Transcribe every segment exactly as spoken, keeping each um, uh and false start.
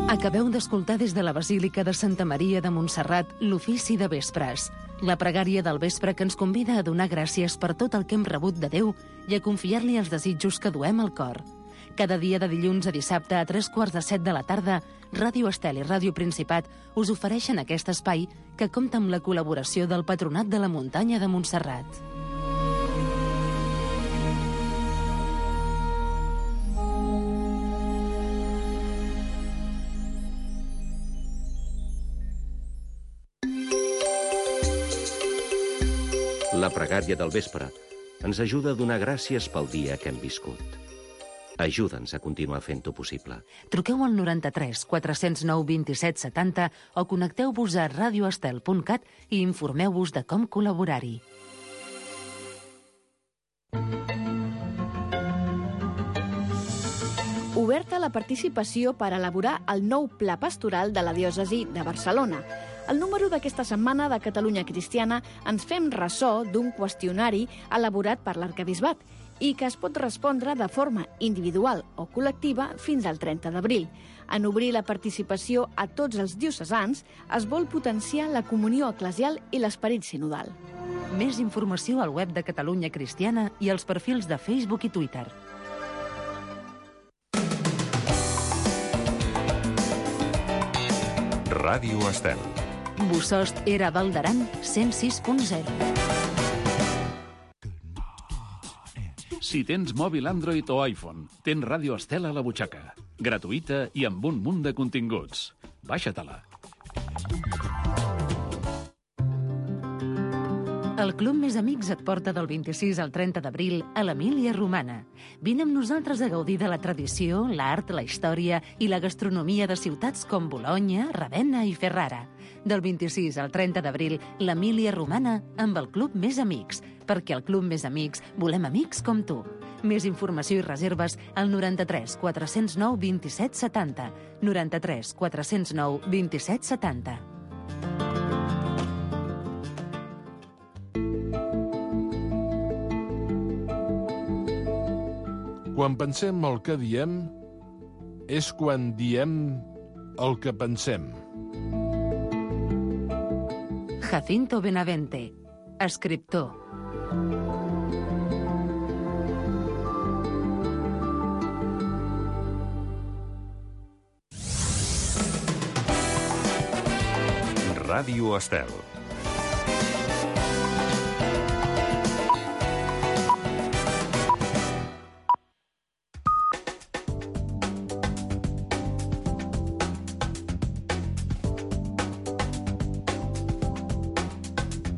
Acabeu d'escoltar des de la Basílica de Santa Maria de Montserrat l'ofici de vespres, la pregària del vespre que ens convida a donar gràcies per tot el que hem rebut de Déu i a confiar-li els desitjos que duem al cor. Cada dia de dilluns a dissabte a tres quarts de set de la tarda, Ràdio Estel i Ràdio Principat us ofereixen aquest espai que compta amb la col·laboració del Patronat de la Muntanya de Montserrat. La pregària del vespre ens ajuda a donar gràcies pel dia que hem viscut. Ajuda'ns a continuar fent-ho possible. Truqueu al noranta-tres quatre zero nou vint-i-set setanta o connecteu-vos a radioestel punt cat i informeu-vos de com col·laborar-hi. Oberta la participació per elaborar el nou Pla Pastoral de la Diòcesi de Barcelona. Al número d'aquesta setmana de Catalunya Cristiana ens fem ressò d'un qüestionari elaborat per l'Arquebisbat i que es pot respondre de forma individual o col·lectiva fins al trenta d'abril. En obrir la participació a tots els diocesans es vol potenciar la comunió eclesial i l'esperit sinodal. Més informació al web de Catalunya Cristiana i als perfils de Facebook i Twitter. Ràdio Estel. Bosost era Val d'Aran, cent sis punt zero. Si tens mòbil Android o iPhone, tens Ràdio Estel a la butxaca. Gratuïta i amb un munt de continguts. Baixa-te-la. El Club Més Amics et porta del vint-i-sis al trenta d'abril a l'Emília Romana. Vine amb nosaltres a gaudir de la tradició, l'art, la història i la gastronomia de ciutats com Bolonya, Ravenna i Ferrara. Del vint-i-sis al trenta d'abril, l'Emília Romana amb el Club Més Amics, perquè al Club Més Amics volem amics com tu. Més informació i reserves al noranta-tres quatre zero nou vint-i-set setanta. noranta-tres quatre zero nou vint-i-set setanta. Quan pensem el que diem, és quan diem el que pensem. Jacinto Benavente, escriptor. Ràdio Estel.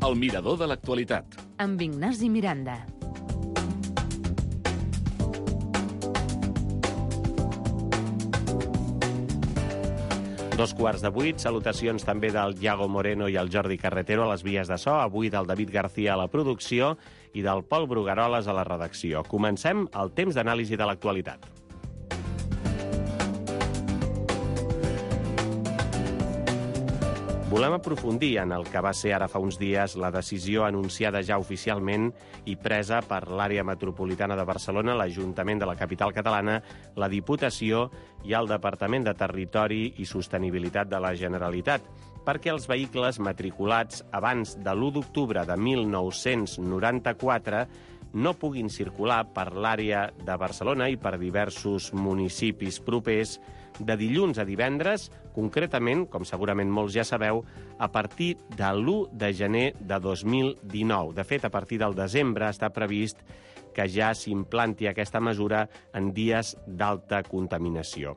El mirador de l'actualitat. Amb Ignasi Miranda. Dos quarts de vuit, salutacions també del Iago Moreno i el Jordi Carretero a les vies de so, avui del David García a la producció i del Pol Brugueroles a la redacció. Comencem el temps d'anàlisi de l'actualitat. Volem aprofundir en el que va ser ara fa uns dies la decisió anunciada ja oficialment i presa per l'àrea metropolitana de Barcelona, l'Ajuntament de la capital catalana, la Diputació i el Departament de Territori i Sostenibilitat de la Generalitat, perquè els vehicles matriculats abans de l'u d'octubre de mil nou-cents noranta-quatre no puguin circular per l'àrea de Barcelona i per diversos municipis propers de dilluns a divendres, concretament, com segurament molts ja sabeu, a partir de l'u de gener de dos mil dinou. De fet, a partir del desembre està previst que ja s'implanti aquesta mesura en dies d'alta contaminació.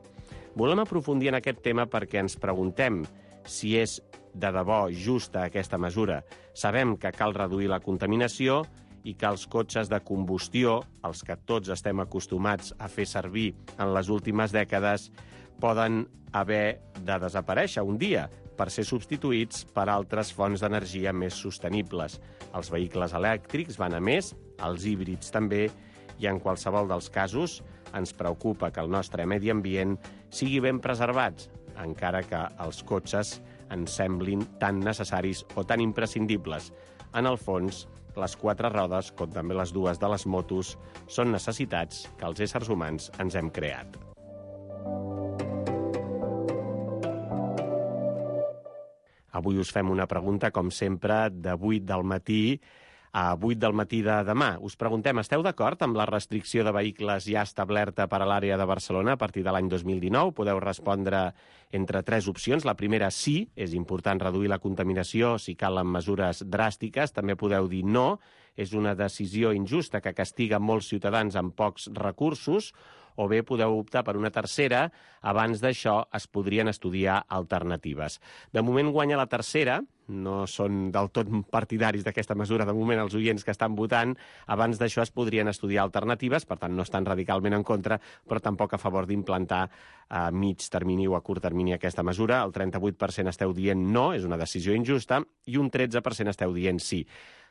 Volem aprofundir en aquest tema perquè ens preguntem si és de debò justa aquesta mesura. Sabem que cal reduir la contaminació i que els cotxes de combustió, els que tots estem acostumats a fer servir en les últimes dècades, poden haver de desaparèixer un dia per ser substituïts per altres fonts d'energia més sostenibles. Els vehicles elèctrics van a més, els híbrids també, i en qualsevol dels casos ens preocupa que el nostre medi ambient sigui ben preservats, encara que els cotxes ens semblin tan necessaris o tan imprescindibles. En el fons, les quatre rodes, com també les dues de les motos, són necessitats que els éssers humans ens hem creat. Avui us fem una pregunta, com sempre, de vuit del matí a vuit del matí de demà. Us preguntem, esteu d'acord amb la restricció de vehicles ja establerta per a l'àrea de Barcelona a partir de l'any dos mil dinou? Podeu respondre entre tres opcions. La primera, sí, és important reduir la contaminació si calen mesures dràstiques. També podeu dir no, és una decisió injusta que castiga molts ciutadans amb pocs recursos. O bé podeu optar per una tercera. Abans d'això es podrien estudiar alternatives. De moment guanya la tercera. No són del tot partidaris d'aquesta mesura, de moment, els oients que estan votant. Abans d'això es podrien estudiar alternatives, per tant no estan radicalment en contra, però tampoc a favor d'implantar a mig termini o a curt termini aquesta mesura. El trenta-vuit per cent esteu dient no, és una decisió injusta, i un tretze per cent esteu dient sí.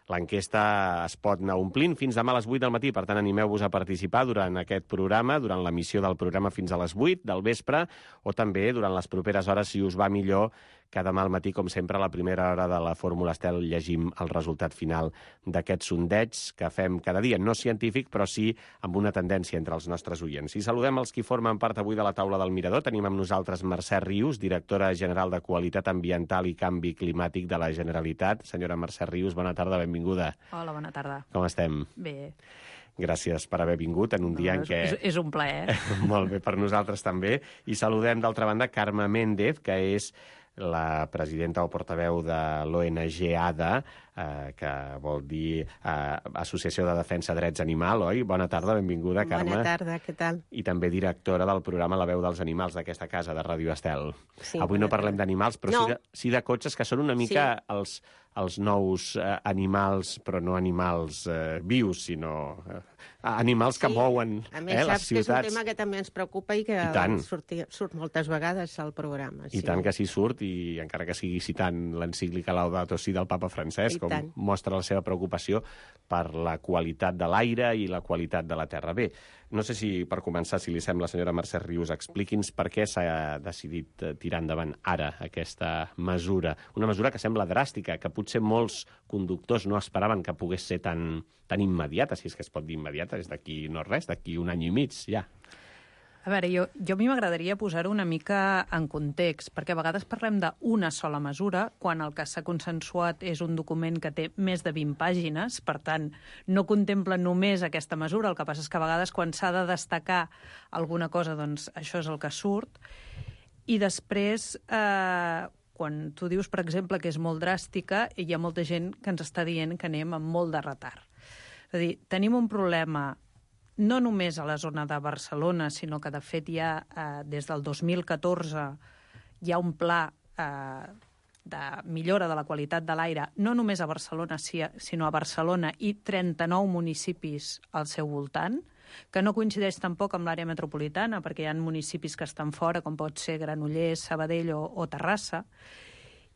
L'enquesta es pot anar omplint fins demà a les vuit del matí, per tant animeu-vos a participar durant aquest programa, durant l'emissió del programa fins a les vuit del vespre, o també durant les properes hores, si us va millor, que demà al matí, com sempre, a la primera hora de la Fórmula Estel llegim el resultat final d'aquest sondeig que fem cada dia, no científic, però sí amb una tendència entre els nostres oients. I saludem els qui formen part avui de la taula del Mirador. Tenim amb nosaltres Mercè Rius, directora general de Qualitat Ambiental i Canvi Climàtic de la Generalitat. Senyora Mercè Rius, bona tarda, benvinguda. Hola, bona tarda. Com estem? Bé. Gràcies per haver vingut en un No, dia en és, què... És, és un plaer. Molt bé, per nosaltres també. I saludem, d'altra banda, Carme Méndez, que és la presidenta o portaveu de l'O N G A D A, eh, que vol dir eh, Associació de Defensa Drets Animal, oi? Bona tarda, benvinguda, Carme. Bona tarda, què tal? I també directora del programa La veu dels animals d'aquesta casa de Ràdio Estel. Sí, Avui no parlem d'animals, però no. sí, de, sí de cotxes, que són una mica sí. els, els nous eh, animals, però no animals eh, vius, sinó eh, animals que sí. mouen a més, eh, les saps ciutats. Que és un tema que també ens preocupa i que I surt, surt moltes vegades al programa. I sí. tant que sí surt, i encara que sigui citant l'encíclica Laudato Si del papa Francesc, I com tant. mostra la seva preocupació per la qualitat de l'aire i la qualitat de la terra. Bé, no sé si, per començar, si li sembla, senyora Mercè Rius, expliqui'ns per què s'ha decidit tirar endavant ara aquesta mesura. Una mesura que sembla dràstica, que potser molts conductors no esperaven que pogués ser tan, tan immediata, si és que es pot dir immediata, és d'aquí no res, d'aquí un any i mig, ja. A veure, jo, jo a mi m'agradaria posar-ho una mica en context, perquè a vegades parlem d'una sola mesura, quan el que s'ha consensuat és un document que té més de vint pàgines, per tant, no contempla només aquesta mesura, el que passa és que a vegades quan s'ha de destacar alguna cosa, doncs això és el que surt. I després, eh, quan tu dius, per exemple, que és molt dràstica, hi ha molta gent que ens està dient que anem amb molt de retard. És a dir, tenim un problema no només a la zona de Barcelona, sinó que, de fet, ja eh, des del dos mil catorze hi ha un pla eh, de millora de la qualitat de l'aire, no només a Barcelona, sinó a Barcelona i trenta-nou municipis al seu voltant, que no coincideix tampoc amb l'àrea metropolitana, perquè hi ha municipis que estan fora, com pot ser Granollers, Sabadell o, o Terrassa,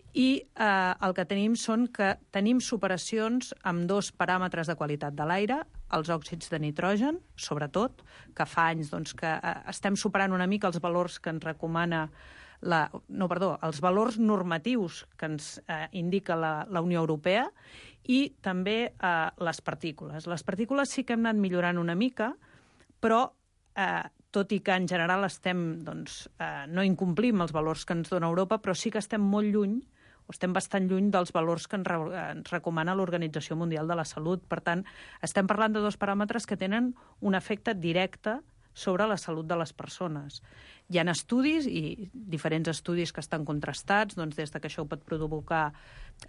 i eh, el que tenim són que tenim superacions amb dos paràmetres de qualitat de l'aire, els òxids de nitrogen, sobretot, que fa anys doncs, que eh, estem superant una mica els valors que ens recomana la, no, perdó, els valors normatius que ens eh, indica la, la Unió Europea, i també eh, les partícules. Les partícules sí que hem anat millorant una mica, però eh, tot i que en general estem, doncs, eh, no incomplim els valors que ens dona Europa, però sí que estem molt lluny, o estem bastant lluny dels valors que ens, re ens recomana l'Organització Mundial de la Salut. Per tant, estem parlant de dos paràmetres que tenen un efecte directe sobre la salut de les persones. Hi ha estudis, i diferents estudis que estan contrastats, doncs, des de que això pot provocar,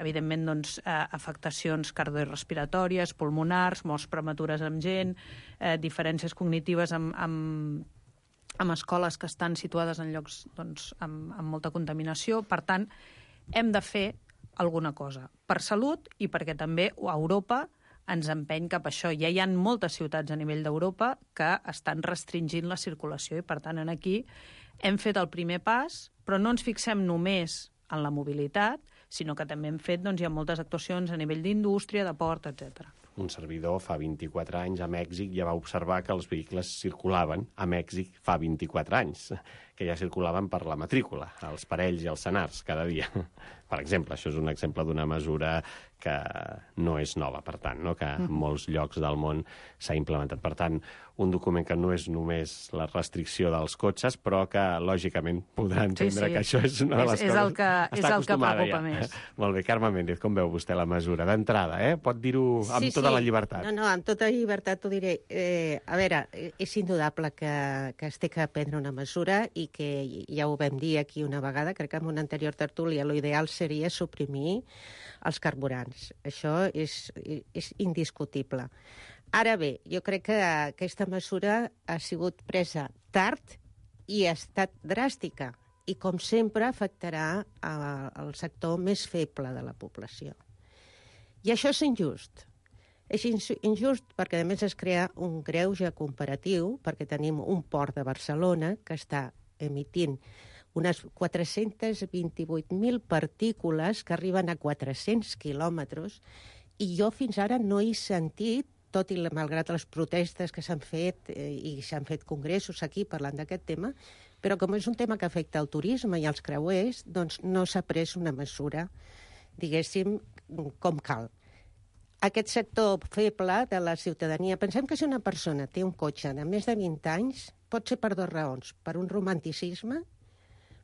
evidentment, doncs, eh, afectacions cardiorrespiratòries, pulmonars, morts prematures amb gent, eh, diferències cognitives amb, amb, amb escoles que estan situades en llocs doncs, amb, amb molta contaminació. Per tant, hem de fer alguna cosa per salut i perquè també a Europa ens empeny cap a això. Ja hi ha moltes ciutats a nivell d'Europa que estan restringint la circulació i, per tant, aquí hem fet el primer pas, però no ens fixem només en la mobilitat, sinó que també hem fet, doncs, hi ha moltes actuacions a nivell d'indústria, de port, etcètera. Un servidor fa vint-i-quatre anys a Mèxic ja va observar que els vehicles circulaven a Mèxic fa vint-i-quatre anys, que ja circulaven per la matrícula, els parells i els senars cada dia. Per exemple, això és un exemple d'una mesura que no és nova, per tant, no? Que en molts llocs del món s'ha implementat. Per tant, un document que no és només la restricció dels cotxes, però que, lògicament, podrà entendre sí, sí. que això és una de les és, és coses... El que, és el que preocupa ja. més. Molt bé, Carme Méndez, com veu vostè la mesura? D'entrada, eh? Pot dir-ho amb sí, tota sí. la llibertat. No, no, amb tota llibertat t'ho diré. Eh, a veure, és indudable que, que es té que prendre una mesura i que ja ho vam dir aquí una vegada, crec que en una anterior tertúlia, l'ideal seria suprimir els carburants. Això és, és indiscutible. Ara bé, jo crec que aquesta mesura ha sigut presa tard i ha estat dràstica i, com sempre, afectarà el sector més feble de la població. I això és injust. És injust perquè, a més, es crea un greuge comparatiu, perquè tenim un port de Barcelona que està emitint unes quatre-cents vint-i-vuit mil partícules que arriben a quatre-cents quilòmetres, i jo fins ara no he sentit, tot i malgrat les protestes que s'han fet eh, i s'han fet congressos aquí parlant d'aquest tema, però com és un tema que afecta el turisme i els creuers, doncs no s'ha pres una mesura, diguéssim, com cal. Aquest sector feble de la ciutadania, pensem que si una persona té un cotxe de més de vint anys, pot ser per dues raons. Per un romanticisme,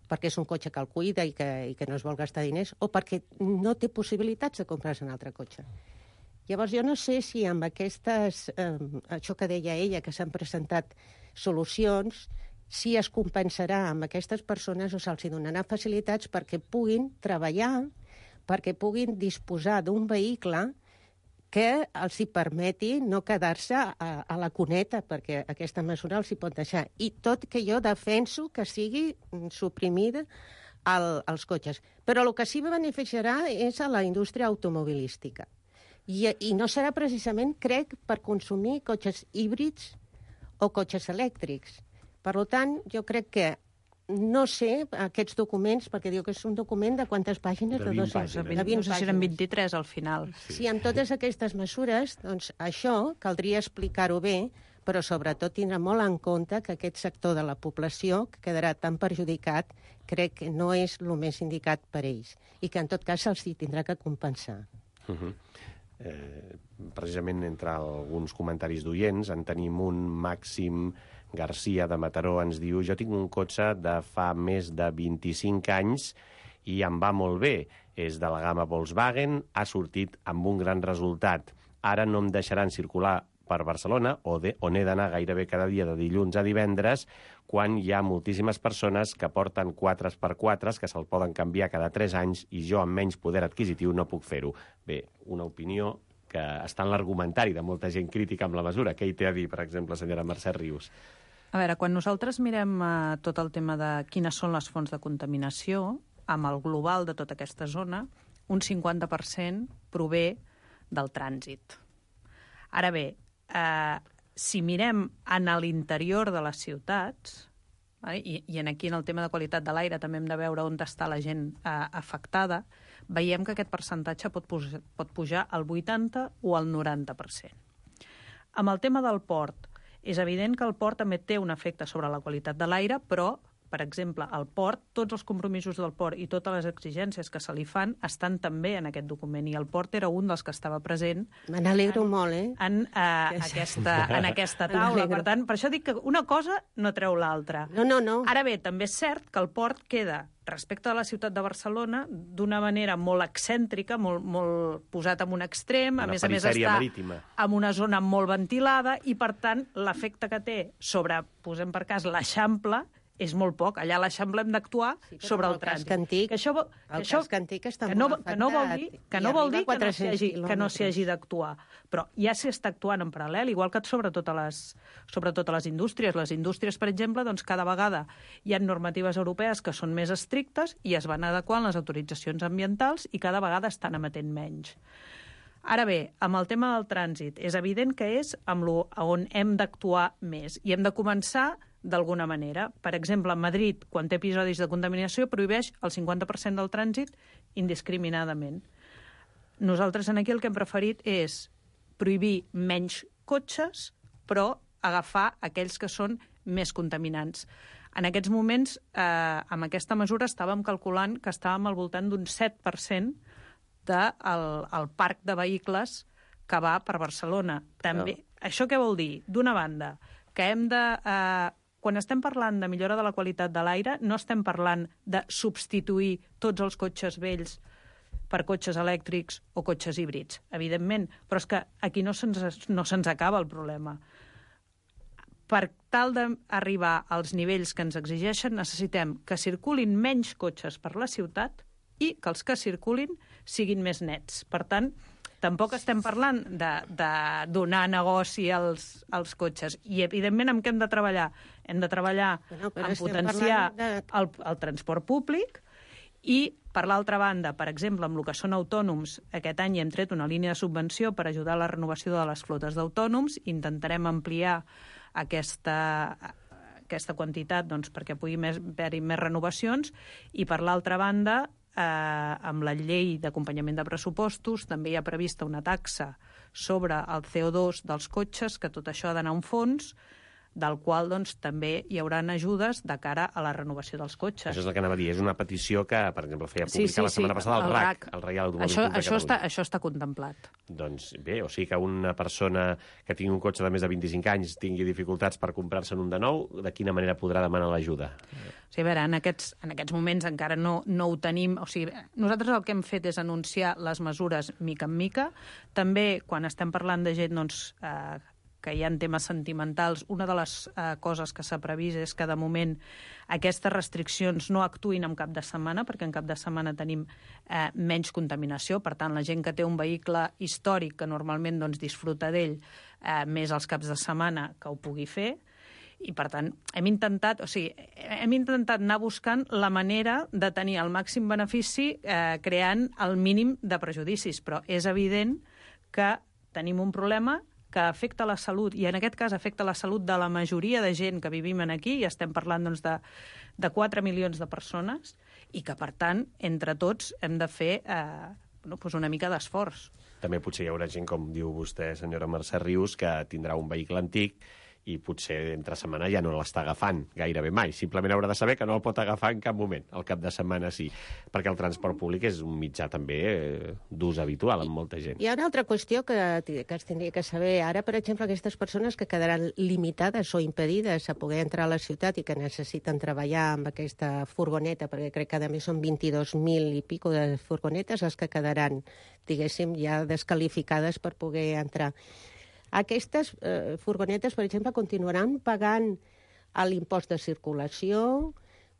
perquè és un cotxe que el cuida i que, i que no es vol gastar diners, o perquè no té possibilitats de comprar-se un altre cotxe. Llavors, jo no sé si amb aquestes, eh, això que deia ella, que s'han presentat solucions, si es compensarà amb aquestes persones o se'ls donarà facilitats perquè puguin treballar, perquè puguin disposar d'un vehicle que els hi permeti no quedar-se a, a la cuneta, perquè aquesta mesura els hi pot deixar. I tot que jo defenso que sigui suprimida el, els cotxes. Però el que sí que beneficiarà és a la indústria automobilística. I, I no serà precisament, crec, per consumir cotxes híbrids o cotxes elèctrics. Per tant, jo crec que no sé aquests documents, perquè diu que és un document de quantes pàgines? De vint pàgines. pàgines. De vint, no sé si eren vint-i-tres al final. Sí. sí, amb totes aquestes mesures, doncs això caldria explicar-ho bé, però sobretot tindrà molt en compte que aquest sector de la població que quedarà tan perjudicat, crec que no és el més indicat per ells, i que en tot cas se'ls tindrà que compensar. Uh-huh. Eh, precisament entre alguns comentaris d'oients en tenim un. Màxim Garcia de Mataró ens diu: jo tinc un cotxe de fa més de vint-i-cinc anys i em va molt bé, és de la gamma Volkswagen, ha sortit amb un gran resultat. Ara no em deixaran circular per Barcelona, on he d'anar gairebé cada dia de dilluns a divendres, quan hi ha moltíssimes persones que porten quatre per quatre, que se'l poden canviar cada tres anys, i jo amb menys poder adquisitiu no puc fer-ho. Bé, una opinió que està en l'argumentari de molta gent crítica amb la mesura. Què hi té a dir, per exemple, senyora Mercè Rius? A veure, quan nosaltres mirem uh, tot el tema de quines són les fonts de contaminació, amb el global de tota aquesta zona, un cinquanta per cent prové del trànsit. Ara bé, eh, si mirem en l'interior de les ciutats, eh, i, i en aquí en el tema de qualitat de l'aire també hem de veure on està la gent eh, afectada, veiem que aquest percentatge pot pujar, pot pujar al vuitanta o al noranta per cent. Amb el tema del port, és evident que el port també té un efecte sobre la qualitat de l'aire, però, per exemple, el port, tots els compromisos del port i totes les exigències que se li fan estan també en aquest document, i el port era un dels que estava present. Me n'alegro molt, eh? En, uh, aquesta, en aquesta taula. Per tant, per això dic que una cosa no treu l'altra. No, no, no. Ara bé, també és cert que el port queda, respecte a la ciutat de Barcelona, d'una manera molt excèntrica, molt, molt posat en un extrem, a més a més està marítima. En una zona molt ventilada, i per tant l'efecte que té sobre, posem per cas, l'Eixample, és molt poc. Allà a l'Eixample hem d'actuar sí, sobre el, el trànsit. Antic, que això, el això, casc antic està que no, molt afectat. Que no vol dir que no, vol dir que no s'hi hagi, que no s'hi quilòmetres. hagi d'actuar. Però ja s'hi està actuant en paral·lel, igual que sobre totes les, sobre totes les indústries. Les indústries, per exemple, doncs cada vegada hi ha normatives europees que són més estrictes i es van adequant les autoritzacions ambientals i cada vegada estan emetent menys. Ara bé, amb el tema del trànsit, és evident que és amb lo, on hem d'actuar més i hem de començar d'alguna manera. Per exemple, a Madrid, quan té episodis de contaminació, prohibeix el cinquanta per cent del trànsit indiscriminadament. Nosaltres aquí el que hem preferit és prohibir menys cotxes, però agafar aquells que són més contaminants. En aquests moments, eh, amb aquesta mesura, estàvem calculant que estàvem al voltant d'un set per cent del el parc de vehicles que va per Barcelona. També, no. Això què vol dir? D'una banda, que hem de... Eh, quan estem parlant de millora de la qualitat de l'aire, no estem parlant de substituir tots els cotxes vells per cotxes elèctrics o cotxes híbrids, evidentment, però és que aquí no se'ns no se'ns acaba el problema. Per tal d'arribar als nivells que ens exigeixen, necessitem que circulin menys cotxes per la ciutat i que els que circulin siguin més nets. Per tant, tampoc estem parlant de, de donar negoci als, als cotxes. I, evidentment, amb què hem de treballar? Hem de treballar bueno, en potenciar de... el, el transport públic i, per l'altra banda, per exemple, amb el que són autònoms, aquest any hem tret una línia de subvenció per ajudar a la renovació de les flotes d'autònoms. Intentarem ampliar aquesta, aquesta quantitat doncs, perquè pugui haver-hi més renovacions. I, per l'altra banda, eh, amb la llei d'acompanyament de pressupostos també hi ha prevista una taxa sobre el C O dos dels cotxes, que tot això ha d'anar a un fons, del qual doncs, també hi haurà ajudes de cara a la renovació dels cotxes. Això és el que anava a dir. És una petició que, per exemple, feia pública sí, sí, la setmana sí, passada el, el R A C, el Reial Automòbil això, Club de això Catalunya. Està, això està contemplat. Doncs bé, o sigui que una persona que tingui un cotxe de més de vint-i-cinc anys tingui dificultats per comprar-se'n un de nou, de quina manera podrà demanar l'ajuda? O sigui, a veure, en aquests, en aquests moments encara no, no ho tenim. O sigui, nosaltres el que hem fet és anunciar les mesures mica en mica. També, quan estem parlant de gent doncs, eh, que hi ha temes sentimentals, una de les eh, coses que s'ha previst és que, de moment, aquestes restriccions no actuïn en cap de setmana, perquè en cap de setmana tenim eh, menys contaminació. Per tant, la gent que té un vehicle històric, que normalment doncs, disfruta d'ell eh, més els caps de setmana, que ho pugui fer. I, per tant, hem intentat, o sigui, hem intentat anar buscant la manera de tenir el màxim benefici eh, creant el mínim de prejudicis, però és evident que tenim un problema que afecta la salut, i en aquest cas afecta la salut de la majoria de gent que vivim aquí, i estem parlant doncs, de, de quatre milions de persones, i que, per tant, entre tots hem de fer eh, bueno, doncs una mica d'esforç. També potser hi haurà gent, com diu vostè, senyora Mercè Rius, que tindrà un vehicle antic i potser entre setmana ja no l'està agafant gairebé mai. Simplement haurà de saber que no el pot agafar en cap moment. Al cap de setmana sí, perquè el transport públic és un mitjà també eh, d'ús habitual en molta gent. Hi ha una altra qüestió que, que es tindria que saber ara, per exemple, aquestes persones que quedaran limitades o impedides a poder entrar a la ciutat i que necessiten treballar amb aquesta furgoneta, perquè crec que a més són vint-i-dos mil i pico de furgonetes les que quedaran, diguéssim, ja descalificades per poder entrar. Aquestes eh, furgonetes, per exemple, continuaran pagant l'impost de circulació,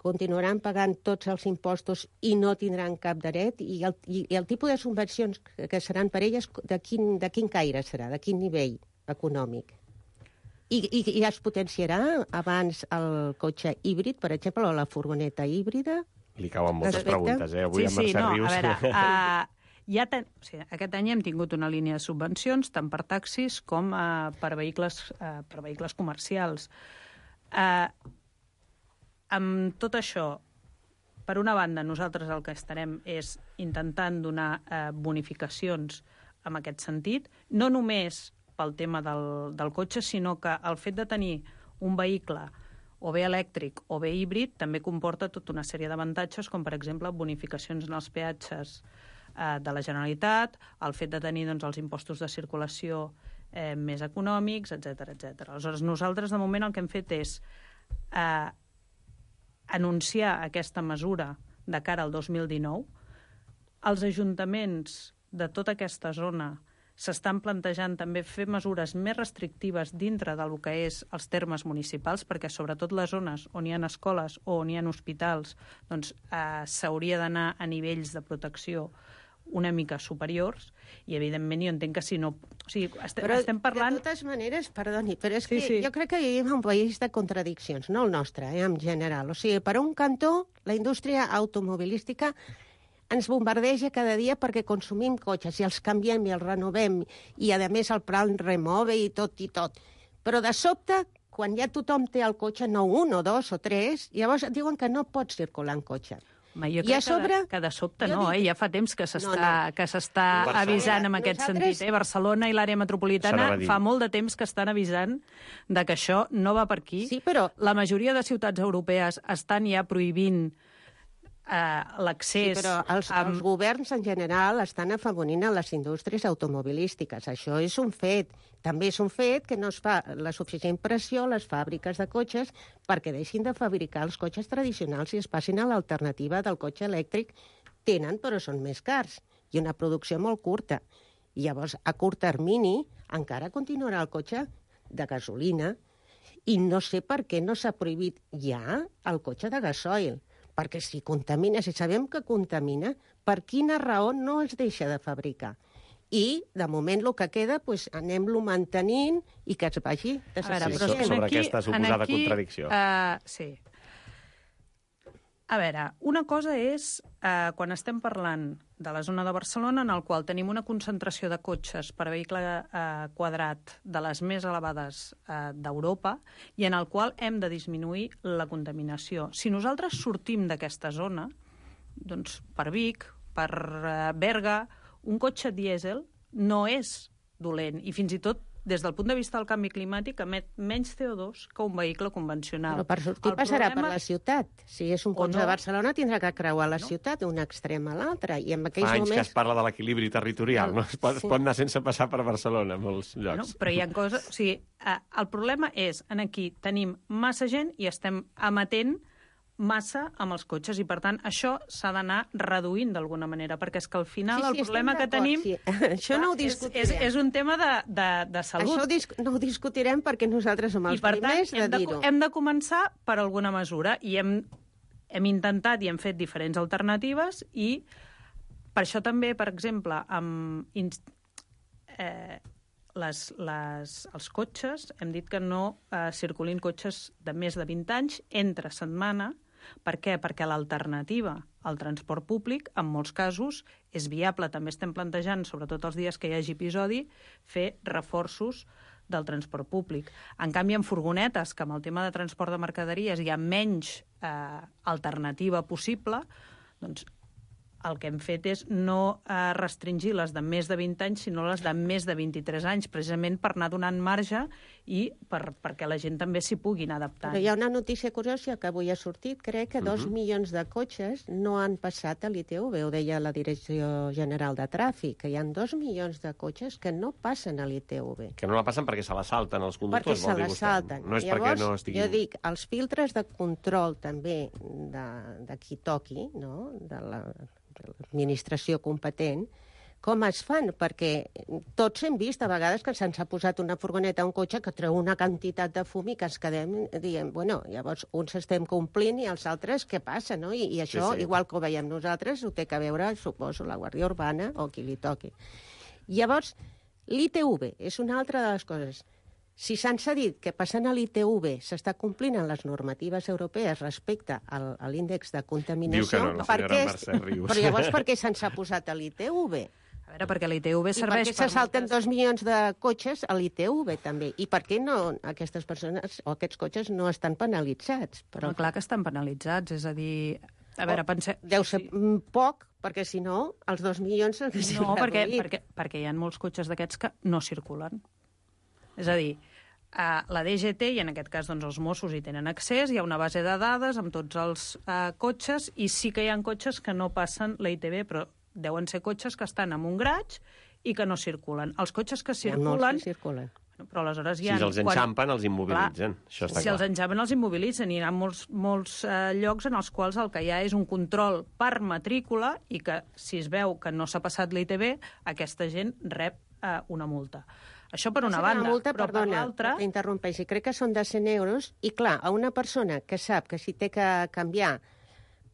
continuaran pagant tots els impostos i no tindran cap dret, i el, i, i el tipus de subvencions que seran per elles, de quin, de quin caire serà, de quin nivell econòmic? I, i, i es potenciarà abans el cotxe híbrid, per exemple, o la furgoneta híbrida? Li cauen moltes Respecte? preguntes, eh? Avui sí, amb Mercè sí, no, Rius. A veure, uh, ja ten... o sigui, aquest any hem tingut una línia de subvencions, tant per taxis com uh, per, vehicles, uh, per vehicles comercials. Uh, amb tot això, per una banda, nosaltres el que estarem és intentant donar uh, bonificacions en aquest sentit, no només pel tema del, del cotxe, sinó que el fet de tenir un vehicle o bé elèctric o bé híbrid també comporta tota una sèrie d'avantatges, com per exemple bonificacions en els peatges eh, de la Generalitat, el fet de tenir doncs, els impostos de circulació eh, més econòmics, etcètera, etcètera. Aleshores, nosaltres de moment el que hem fet és eh, anunciar aquesta mesura de cara al dos mil dinou. Els ajuntaments de tota aquesta zona s'estan plantejant també fer mesures més restrictives dintre del que és els termes municipals, perquè sobretot les zones on hi ha escoles o on hi ha hospitals doncs, eh, s'hauria d'anar a nivells de protecció una mica superiors, i evidentment jo entenc que si no... O sigui, est però, estem parlant... de totes maneres, perdoni, però és sí, que sí. jo crec que vivim en un país de contradiccions, no el nostre, eh, en general. O sigui, per un cantó, la indústria automobilística ens bombardeja cada dia perquè consumim cotxes i els canviem i els renovem i, a més, el plan remove i tot i tot. Però, de sobte, quan ja tothom té el cotxe, no un o dos o tres, llavors et diuen que no pots circular en cotxe. Home, jo I crec a sobre... que, de, que de sobte no, dic... eh? Ja fa temps que s'està no, no. que s'està avisant en aquest Nosaltres... sentit. Eh? Barcelona i l'àrea metropolitana fa molt de temps que estan avisant de que això no va per aquí. Sí, però... La majoria de ciutats europees estan ja prohibint eh, l'accés... Sí, però els, amb... els governs en general estan afavorint a les indústries automobilístiques. Això és un fet. També és un fet que no es fa la suficient pressió a les fàbriques de cotxes perquè deixin de fabricar els cotxes tradicionals i es passin a l'alternativa del cotxe elèctric. Tenen, però són més cars i una producció molt curta. I llavors, a curt termini, encara continuarà el cotxe de gasolina i no sé per què no s'ha prohibit ja el cotxe de gasoil. Perquè si contamina, si sabem que contamina, per quina raó no es deixa de fabricar? I, de moment, el que queda, doncs, anem-lo mantenint i que es vagi desapareixent. Sí, sobre, sobre aquesta suposada aquí, contradicció. Uh, sí. A veure, una cosa és uh, quan estem parlant de la zona de Barcelona, en el qual tenim una concentració de cotxes per vehicle uh, quadrat de les més elevades uh, d'Europa i en el qual hem de disminuir la contaminació. Si nosaltres sortim d'aquesta zona, doncs per Vic, per uh, Berga, un cotxe dièsel no és dolent i fins i tot des del punt de vista del canvi climàtic, emet menys C O dos que un vehicle convencional. Però per sortir el passarà problema... per la ciutat. Si és un cotxe no. de Barcelona, tindrà que creuar la no. ciutat d'un extrem a l'altre. I en aquells Fa anys moments... que es parla de l'equilibri territorial, no? Es pot, Sí. es pot anar sense passar per Barcelona en molts llocs. No, però hi ha coses... O sigui, eh, el problema és, en aquí tenim massa gent i estem emetent massa amb els cotxes i, per tant, això s'ha d'anar reduint d'alguna manera, perquè és que al final Sí, sí, el problema estem que tenim... d'acord, sí. Això no ho és, discutirem. és, és un tema de, de, de salut. Això dis no ho discutirem perquè nosaltres som els I, per tant, primers de hem de, dir-ho. hem de començar per alguna mesura i hem, hem intentat i hem fet diferents alternatives i per això també, per exemple, amb... Inst eh, Les, les, els cotxes, hem dit que no eh, circulin cotxes de més de vint anys entre setmana. Per què? Perquè l'alternativa al transport públic, en molts casos, és viable. També estem plantejant, sobretot els dies que hi hagi episodi, fer reforços del transport públic. En canvi, en furgonetes, que amb el tema de transport de mercaderies hi ha menys eh, alternativa possible, doncs el que hem fet és no eh, restringir les de més de vint anys, sinó les de més de vint-i-tres anys, precisament per anar donant marge i per, perquè la gent també s'hi puguin adaptar. Però hi ha una notícia curiosa que avui ha sortit. Crec que dos uh -huh. milions de cotxes no han passat a l'I T V, ho deia la Direcció General de Tràfic, que hi ha dos milions de cotxes que no passen a l'I T V. Que no la passen perquè se la salten els conductors, Perquè vol se dir la vostè. salten. No és Llavors, perquè no estiguin... jo dic, els filtres de control també de, de qui toqui, no?, de la... l'administració competent, com es fan? Perquè tots hem vist a vegades que se'ns ha posat una furgoneta a un cotxe que treu una quantitat de fum i que ens quedem dient, bueno, llavors uns estem complint i els altres què passa, no? I, i això, sí, sí. igual que ho veiem nosaltres, ho té que veure, suposo, la Guàrdia Urbana o qui li toqui. Llavors, l'I T V és una altra de les coses. Si se'ns ha dit que passant a l'I T V s'està complint en les normatives europees respecte al, a l'índex de contaminació... Diu que no, la senyora Mercè Rius. Però llavors per què se'ns ha posat a l'I T V? A veure, perquè l'I T V serveix I per què se salten moltes... dos milions de cotxes a l'I T V, també? I per què no aquestes persones o aquests cotxes no estan penalitzats? Però clar que estan penalitzats, és a dir... A veure, pense... Deu ser sí. poc, perquè si no, els dos milions s'haguessin No, perquè, reduït. perquè, perquè hi ha molts cotxes d'aquests que no circulen. És a dir, Uh, la D G T, i en aquest cas doncs, els Mossos hi tenen accés, hi ha una base de dades amb tots els uh, cotxes, i sí que hi ha cotxes que no passen la I T V, però deuen ser cotxes que estan en un garatge i que no circulen. Els cotxes que circulen... Molts que circulen. Bueno, però aleshores hi ha... Si els enxampen, quan... els immobilitzen. Clar, això està si clar. els enxampen, els immobilitzen. I hi ha molts, molts uh, llocs en els quals el que hi ha és un control per matrícula i que, si es veu que no s'ha passat la I T V, aquesta gent rep uh, una multa. Això per una banda, una multa, però perdona, per l'altra... T'interrompeixi, crec que són de cent euros, i clar, a una persona que sap que si té que canviar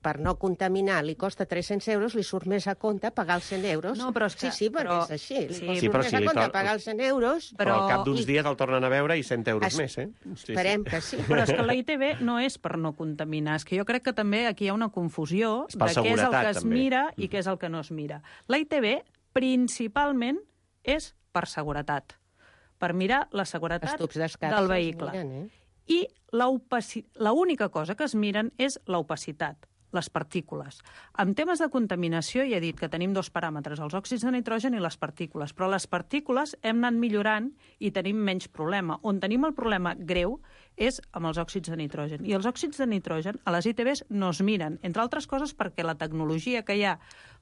per no contaminar li costa tres-cents euros, li surt més a compte pagar els cent euros. No, però és que... Sí, sí, perquè però... és així. Li Sí, sí, sí, surt però més si a li compte tor- pagar els cent euros... Però, però al cap d'uns I... dies el tornen a veure i cent euros es... més, eh? Sí, Esperem sí. que sí. Però és que la I T V no és per no contaminar. És que jo crec que també aquí hi ha una confusió És per de què és el seguretat, que es també. mira i què és el que no es mira. La I T V, principalment, és per seguretat. Per mirar la seguretat del vehicle. Miren, eh? I l'única cosa que es miren és l'opacitat, les partícules. En temes de contaminació ja he dit que tenim dos paràmetres, els òxids de nitrogen i les partícules, però les partícules hem anat millorant i tenim menys problema. On tenim el problema greu és amb els òxids de nitrogen. I els òxids de nitrogen a les I T Bs no es miren, entre altres coses perquè la tecnologia que hi ha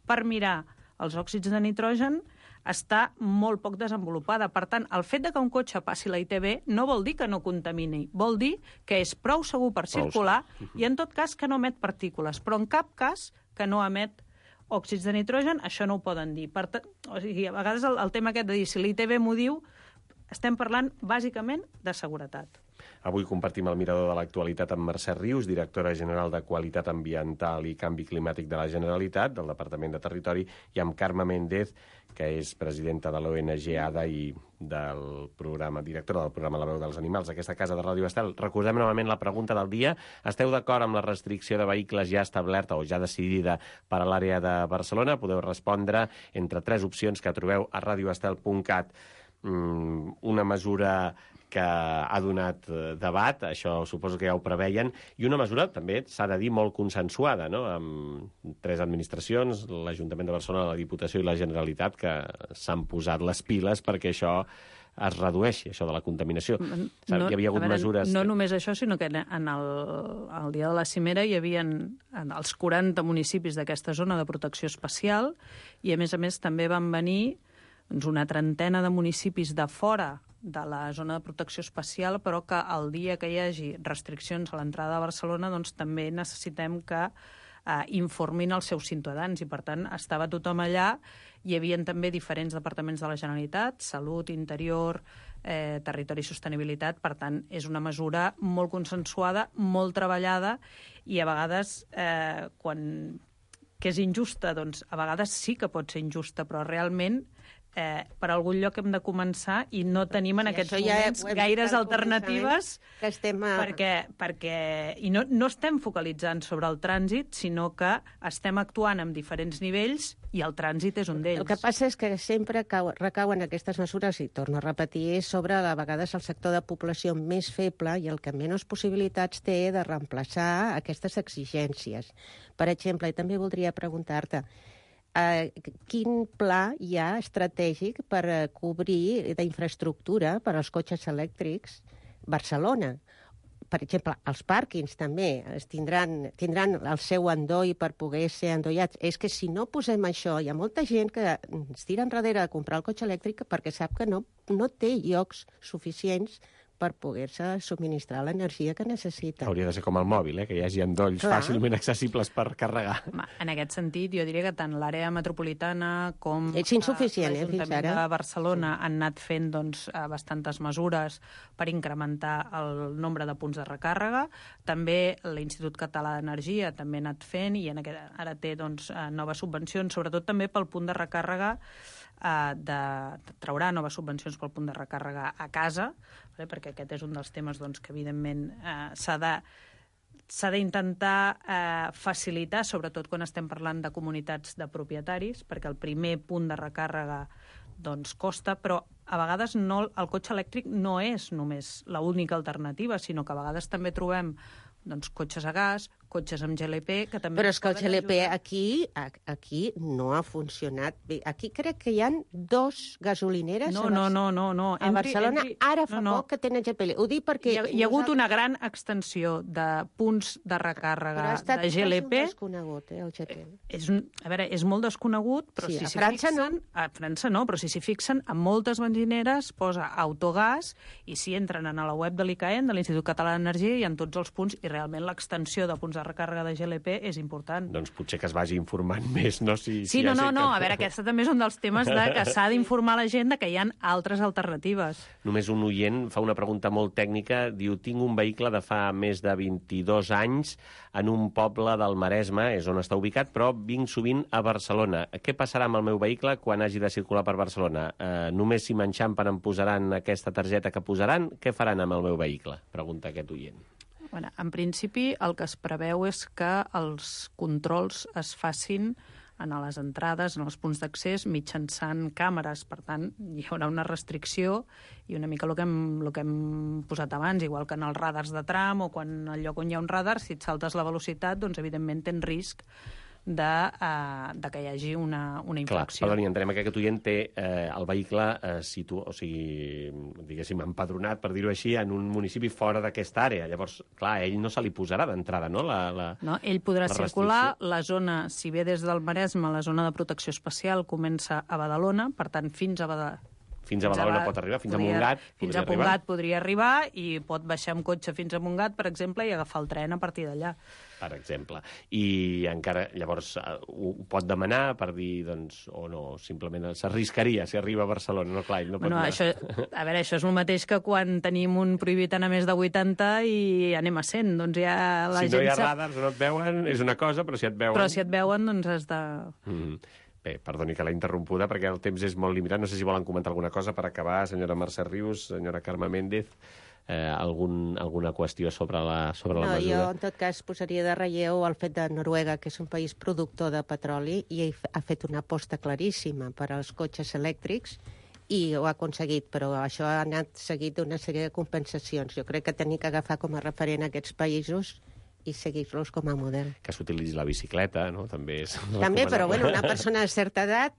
per mirar els òxids de nitrogen està molt poc desenvolupada. Per tant, el fet de que un cotxe passi la I T B no vol dir que no contamini, vol dir que és prou segur per circular i, en tot cas, que no emet partícules, però en cap cas que no emet òxids de nitrogen, això no ho poden dir. Per tant, o sigui, a vegades el, el tema aquest de dir si la I T B m'ho diu, estem parlant bàsicament de seguretat. Avui compartim el mirador de l'actualitat amb Mercè Rius, directora general de Qualitat Ambiental i Canvi Climàtic de la Generalitat, del Departament de Territori, i amb Carme Méndez, que és presidenta de l'O N G A D A i del programa, directora del programa La Veu dels Animals d'aquesta casa de Ràdio Estel. Recordem novament la pregunta del dia. Esteu d'acord amb la restricció de vehicles ja establerta o ja decidida per a l'àrea de Barcelona? Podeu respondre entre tres opcions que trobeu a radioestel punt cat. Una mesura que ha donat debat, això suposo que ja ho preveien, i una mesura també, s'ha de dir, molt consensuada, no?, amb tres administracions, l'Ajuntament de Barcelona, la Diputació i la Generalitat, que s'han posat les piles perquè això es redueixi, això de la contaminació. No, hi havia hagut veure, mesures... No només això, sinó que en el, el dia de la cimera hi havia els quaranta municipis d'aquesta zona de protecció especial i, a més a més, també van venir doncs, una trentena de municipis de fora de la zona de protecció especial, però que el dia que hi hagi restriccions a l'entrada a Barcelona doncs també necessitem que eh, informin els seus ciutadans i, per tant, estava tothom allà. Hi havia també diferents departaments de la Generalitat, Salut, Interior, eh, Territori i Sostenibilitat. Per tant, és una mesura molt consensuada, molt treballada i a vegades, eh, quan que és injusta, doncs a vegades sí que pot ser injusta, però realment Eh, per algun lloc hem de començar i no tenim en sí, aquests moments ja gaires alternatives que estem a... perquè, perquè i no, no estem focalitzant sobre el trànsit, sinó que estem actuant en diferents nivells i el trànsit és un d'ells. El que passa és que sempre cau, recauen aquestes mesures, i torno a repetir, sobre a vegades el sector de població més feble i el que menys possibilitats té de reemplaçar aquestes exigències. Per exemple, i també voldria preguntar-te, Uh, quin pla hi ha estratègic per uh, cobrir d'infraestructura per als cotxes elèctrics Barcelona? Per exemple, els pàrquings també es tindran, tindran el seu endoll per poder ser endollats. És que si no posem això, hi ha molta gent que es tira enrere a comprar el cotxe elèctric perquè sap que no, no té llocs suficients per poder-se subministrar l'energia que necessita. Hauria de ser com el mòbil, eh? Que hi hagi endolls Clar. fàcilment accessibles per carregar. En aquest sentit, jo diria que tant l'àrea metropolitana com és insuficient, eh, fins l'Ajuntament de Barcelona sí. han anat fent doncs, bastantes mesures per incrementar el nombre de punts de recàrrega. També l'Institut Català d'Energia també ha anat fent i en aquest, ara té doncs, noves subvencions, sobretot també pel punt de recàrrega Uh, de, de traurà noves subvencions pel punt de recàrrega a casa, vale? Perquè aquest és un dels temes doncs, que evidentment uh, s'ha de s'ha d'intentar eh, facilitar, sobretot quan estem parlant de comunitats de propietaris, perquè el primer punt de recàrrega doncs, costa, però a vegades no, el cotxe elèctric no és només l'única alternativa, sinó que a vegades també trobem doncs, cotxes a gas, cotxes amb G L P, que també... Però és que el G L P aquí, aquí no ha funcionat bé. Aquí crec que hi ha dos gasolineres no, a, no, no, no, no. a Barcelona. Entri, ara fa no, no. poc que tenen G L P. Ho dic perquè... Hi ha, hi ha hagut una gran extensió de punts de recàrrega de G L P. Però ha estat desconegut, eh, el G L P. És un, a veure, és molt desconegut, però sí, si a s'hi França fixen... no. A França no, però si s'hi fixen, a moltes benzineres posa autogàs i si entren a la web de l'I C A E N, de l'Institut Català d'Energia, hi ha tots els punts i realment l'extensió de punts de recàrrega de G L P és important. Doncs potser que es vagi informant més, no? Si, sí, si no, no, no, que... a veure, aquesta també és un dels temes de que s'ha d'informar la gent de que hi ha altres alternatives. Només un oient fa una pregunta molt tècnica, diu, tinc un vehicle de fa més de vint-i-dos anys en un poble del Maresme, és on està ubicat, però vinc sovint a Barcelona. Què passarà amb el meu vehicle quan hagi de circular per Barcelona? Eh, només si m'enxampen em posaran aquesta targeta que posaran? Què faran amb el meu vehicle? Pregunta aquest oient. Bueno, en principi, el que es preveu és que els controls es facin en les entrades, en els punts d'accés, mitjançant càmeres. Per tant, hi haurà una restricció i una mica el que, hem, el que hem posat abans, igual que en els radars de tram o quan al lloc on hi ha un radar, si et saltes la velocitat, doncs evidentment tens risc de, uh, de que hi hagi una, una infracció. Clar, perdoni, entenem que aquest oient té eh, el vehicle eh, situ... o sigui, diguéssim, empadronat, per dir-ho així, en un municipi fora d'aquesta àrea. Llavors, clar, a ell no se li posarà d'entrada, no? La, la, no? Ell podrà la circular, la zona, si ve des del Maresme, la zona de protecció especial comença a Badalona, per tant, fins a Badalona. Fins a Badalona pot arribar, fins podria, a Montgat fins podria a arribar. Montgat podria arribar i pot baixar amb cotxe fins a Montgat, per exemple, i agafar el tren a partir d'allà. Per exemple. I encara, llavors, ho pot demanar per dir, doncs, o no, simplement s'arriscaria si arriba a Barcelona, no? Clar, no pot Bueno, anar. això, a veure, això és el mateix que quan tenim un prohibit anar més de vuitanta i anem a cent, doncs ja la si gent... no hi ha sap... radars o no et veuen, és una cosa, però si et veuen... Però si et veuen, doncs has de... Mm. Bé, perdoni que l'he interrompuda, perquè el temps és molt limitat. No sé si volen comentar alguna cosa per acabar, senyora Mercè Rius, senyora Carme Méndez, eh, algun, alguna qüestió sobre la, sobre la no, mesura? Jo, en tot cas, posaria de relleu el fet de Noruega, que és un país productor de petroli, i ha fet una aposta claríssima per als cotxes elèctrics, i ho ha aconseguit, però això ha anat seguit d'una sèrie de compensacions. Jo crec que tenim que agafar com a referent aquests països i seguir-los com a model. Que s'utilitzi la bicicleta, no? També és... També, però bueno, una persona de certa edat...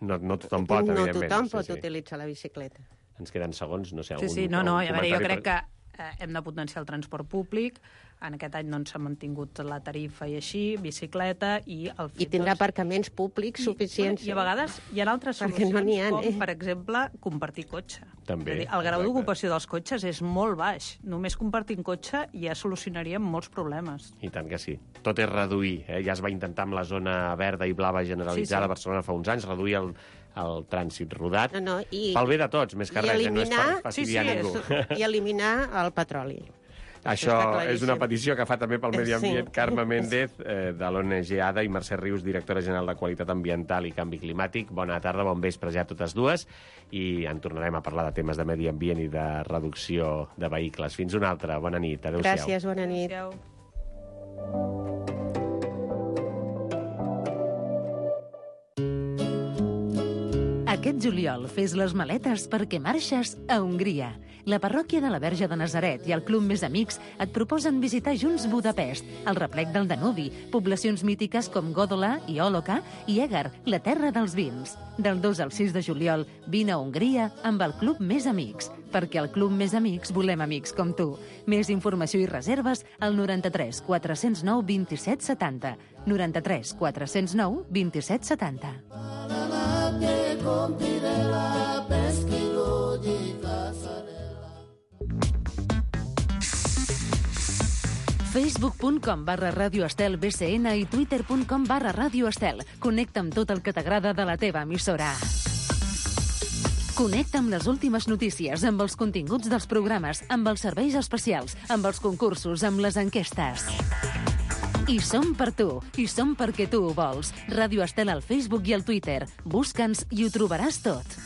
No, no tothom pot, no evidentment. tothom sí, pot sí. utilitzar la bicicleta. Ens queden segons, no sé, Sí, algun, sí, no, no, a veure, jo crec per... que eh, hem de potenciar el transport públic. En aquest any doncs, s'ha mantingut la tarifa i així, bicicleta i el fet... I tindrà doncs, aparcaments públics i, suficients. I a vegades hi ha altres Perquè solucions, no n'hi ha, com, eh? per exemple, compartir cotxe. També, És a dir, el grau exacte. d'ocupació dels cotxes és molt baix. Només compartint cotxe ja solucionaríem molts problemes. I tant que sí. Tot és reduir. Eh? Ja es va intentar amb la zona verda i blava generalitzada Sí, sí. a Barcelona fa uns anys, reduir el, el trànsit rodat. No, no, i, Pel bé de tots, més que i res, eh? no és eliminar- per fastidiar Sí, sí, ningú. I eliminar el petroli. Això està claríssim. és una petició que fa també pel Medi Ambient Sí. Carme Méndez, eh, de l'O N G A D A, i Mercè Rius, directora general de Qualitat Ambiental i Canvi Climàtic. Bona tarda, bon vespre ja a totes dues, i en tornarem a parlar de temes de medi ambient i de reducció de vehicles. Fins una altra, bona nit, adéu-siau. Gràcies, bona nit. Adéu. Aquest juliol fes les maletes perquè marxes a Hongria. La parròquia de la Verge de Nazaret i el Club Més Amics et proposen visitar junts Budapest, el replec del Danubi, poblacions mítiques com Gódola i Oloka i Eger, la terra dels vins. Del dos al sis de juliol, vine a Hongria amb el Club Més Amics, perquè al Club Més Amics volem amics com tu. Més informació i reserves al noranta-tres quatre-cents nou vint-i-set setanta. noranta-tres quatre-cents nou vint-i-set setanta. facebook punt com barra Ràdio Estel B C N i twitter punt com barra Ràdio Estel. Connecta amb tot el que t'agrada de la teva emissora. Connecta amb les últimes notícies, amb els continguts dels programes, amb els serveis especials, amb els concursos, amb les enquestes. I som per tu, i som perquè tu ho vols. Ràdio Estel al Facebook i al Twitter. Busca'ns i ho trobaràs tot.